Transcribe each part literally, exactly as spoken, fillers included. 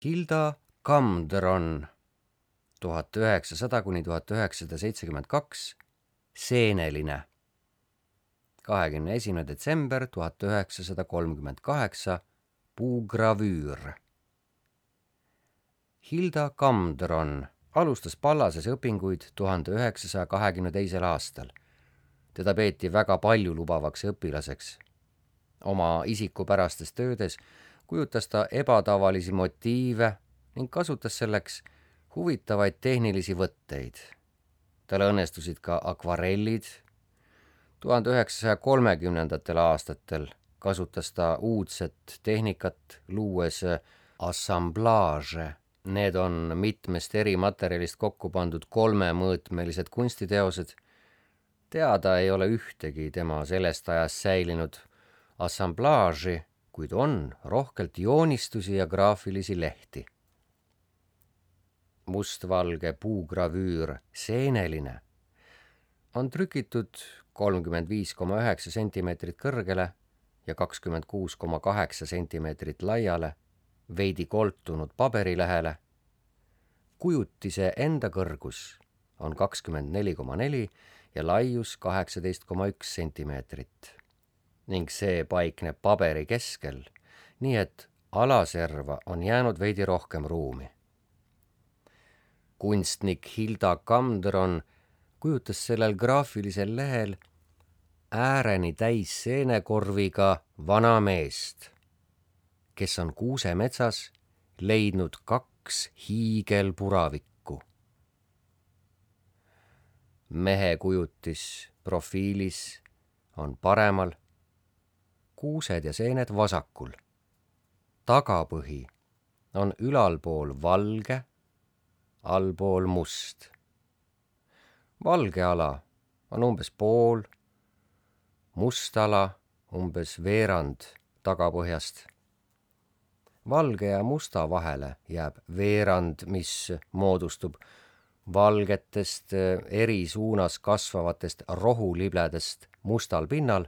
Hilda Kamdron tuhat üheksasada kuni tuhat üheksasada seitsekümmend kaks, Seeneline. kahekümne esimene detsember tuhat üheksasada kolmkümmend kaheksa, puugravüür. Hilda Kamdron alustas Pallases õpinguid tuhande üheksasaja kahekümne teisel aastal. Teda peeti väga paljulubavaks õpilaseks. Oma isikupärastes töödes kujutas ta ebatavalisi motiive ning kasutas selleks huvitavaid tehnilisi võtteid. Tal õnnestusid ka akvarellid. tuhande üheksasaja kolmekümnendatel aastatel kasutas ta uudset tehnikat, luues assamblaaže. Need on mitmest eri materjalist kokku pandud kolmemõõtmelised kunstiteosed. Teada ei ole ühtegi tema sellest ajast säilinud assamblaaži, kuid on rohkelt joonistusi ja graafilisi lehti. Mustvalge puugravüür Seeneline on trükitud kolmkümmend viis koma üheksa sentimeetrit kõrgele ja kakskümmend kuus koma kaheksa sentimeetrit laiale, veidi koltunud paberilehele. Kujutise enda kõrgus on kakskümmend neli koma neli ja laius kaheksateist koma üks sentimeetrit ning see paikneb paberi keskel, nii et alaserva on jäänud veidi rohkem ruumi. Kunstnik Hilda Kamdron kujutas sellel graafilisel lehel ääreni täis seenekorviga vana meest, kes on kuusemetsas leidnud kaks hiigelpuravikku. Mehe kujutis profiilis on paremal, kuused ja seened vasakul. Tagapõhi on ülalpool valge, allpool must. Valge ala on umbes pool, must ala umbes veerand tagapõhjast. Valge ja musta vahele jääb veerand, mis moodustub valgetest eri suunas kasvavatest rohulibledest mustal pinnal,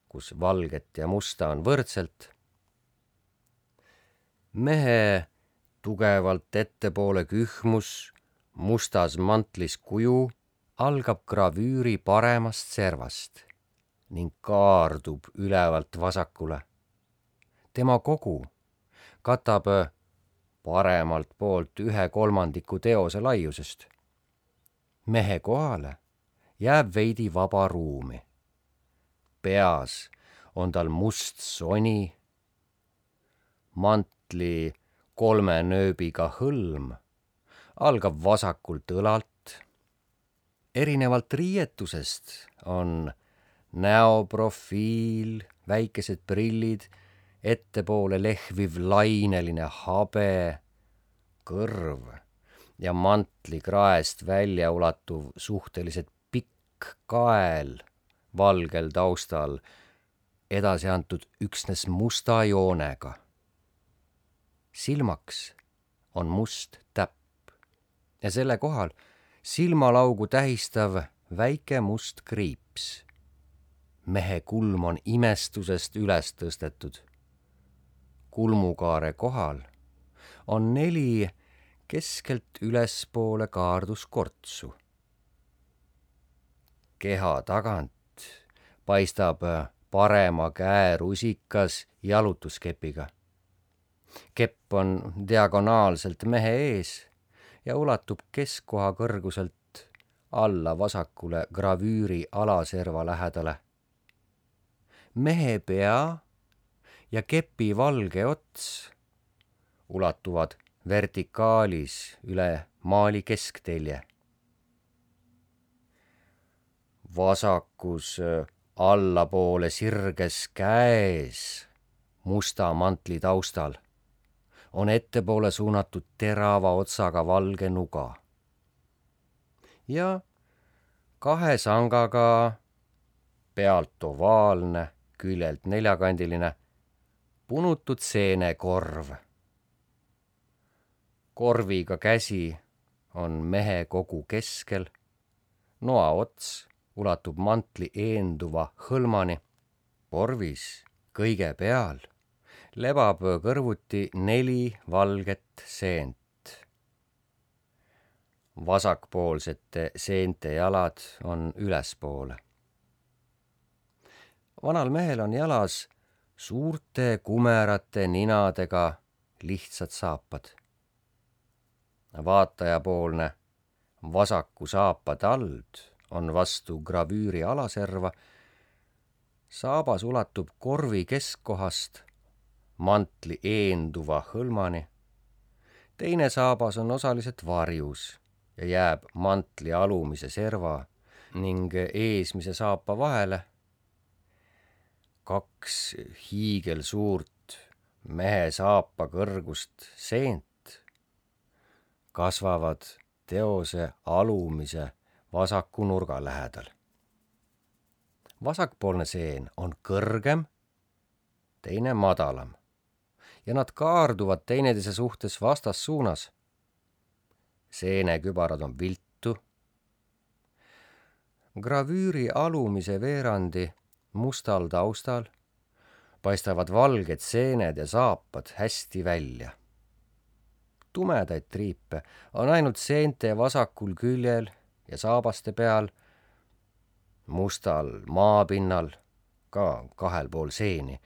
kus valget ja musta on võrdselt. Mehe tugevalt ettepoole kühmus mustas mantlis kuju algab gravüüri paremast servast ning kaardub ülevalt vasakule. Tema kogu katab paremalt poolt ühe kolmandiku teose laiusest. Mehe kohale jääb veidi vaba ruumi. Peas on tal must soni, mantli kolme nööbiga hõlm algab vasakult õlalt. Erinevalt riietusest on näoprofiil, väikesed prillid, ettepoole lehviv laineline habe, kõrv ja mantli kraest välja ulatuv suhteliselt pikk kael valgel taustal, edasi antud üksnes musta joonega. Silmaks on must täpp ja selle kohal silmalaugu tähistav väike must kriips. Mehe kulm on imestusest üles tõstetud. Kulmukaare kohal on neli keskelt ülespoole kaarduskortsu. Keha tagant paistab parema käe rusikas jalutuskepiga. Kepp on diagonaalselt mehe ees ja ulatub keskkoha kõrguselt alla vasakule gravüüri alaserva lähedale. Mehe pea ja kepi valge ots ulatuvad vertikaalis üle maali kesktelje. Vasakus allapoole sirges käes musta mantli taustal on ettepoole suunatud terava otsaga valge nuga. Ja kahe sangaga pealt ovaalne, küljelt neljakandiline, punutud seenekorv. Korviga käsi on mehe kogu keskel, noa ots ulatub mantli eenduva hõlmani. Korvis kõige peal lebab kõrvuti neli valget seent. Vasakpoolsete seente jalad on ülespoole. Vanal mehel on jalas suurte kumerate ninadega lihtsad saapad. Vaatajapoolne vasaku saapa tald on vastu gravüüri alaserva. Saabas ulatub korvi keskkohast mantli eenduva hõlmani. Teine saabas on osaliselt varjus ja jääb mantli alumise serva ning eesmise saapa vahele. Kaks hiigelsuurt mehe saapa kõrgust seent kasvavad teose alumise vasaku nurga lähedal. Vasakpoolne seen on kõrgem, teine madalam ja nad kaarduvad teineteise suhtes vastassuunas. Seenekübarad on viltu. Gravüüri alumise veerandi mustal taustal paistavad valged seened ja saapad hästi välja. Tumedaid triipe on ainult seente vasakul küljel ja saabaste peal. Mustal maapinnal, ka kahel pool seeni,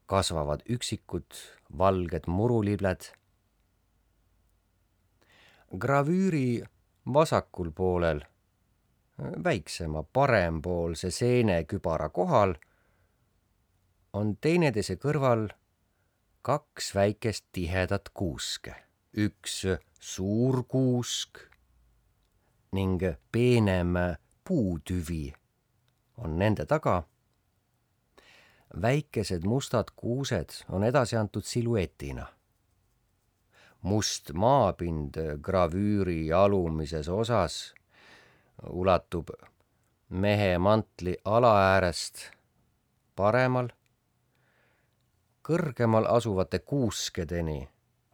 kasvavad üksikud valged murulibled. Gravüüri vasakul poolel, väiksema parempoolse seenekübara kohal, on teineteise kõrval kaks väikest tihedat kuuske. Üks suur kuusk ning peenem puutüvi on nende taga. Väikesed mustad kuused on edasi antud siluetina. Must maapind gravüüri alumises osas ulatub mehe mantli alaäärest paremal, kõrgemal asuvate kuuskedeni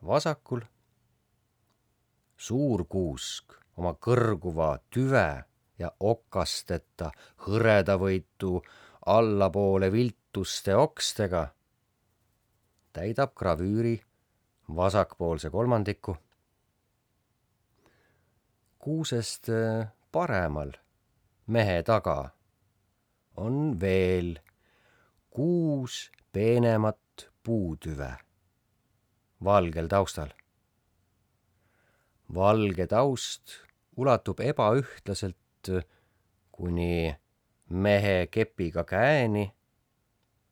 vasakul. Suur kuusk oma kõrguva tüve ja okasteta hõredavõitu allapoole viltuste okstega täidab gravüüri vasakpoolse kolmandiku. Kuusest paremal mehe taga on veel kuus peenemat puutüve valgel taustal. Valge taust ulatub ebaühtlaselt kuni mehe kepiga käeni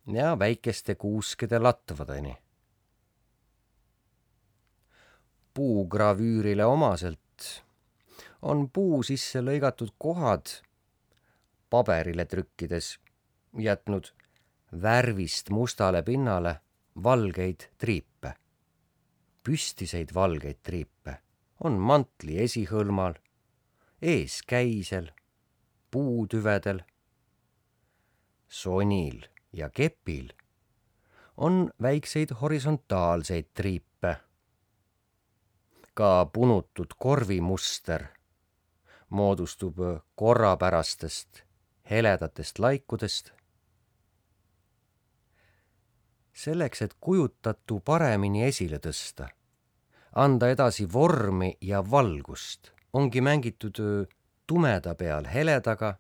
ja väikeste kuuskede latvadeni. Puugravüürile omaselt on puu sisse lõigatud kohad paberile trükkides jätnud värvist mustale pinnale valgeid triipe. Püstiseid valgeid triipe on mantli esihõlmal, eeskäisel, puutüvedel. Sonil ja kepil on väikseid horisontaalseid triipe. Ka punutud korvimuster moodustub korrapärastest heledatest laikudest. Selleks, et kujutatu paremini esile tõsta, anda edasi vormi ja valgust, ongi mängitud tumeda peal heledaga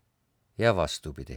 ja vastupidi.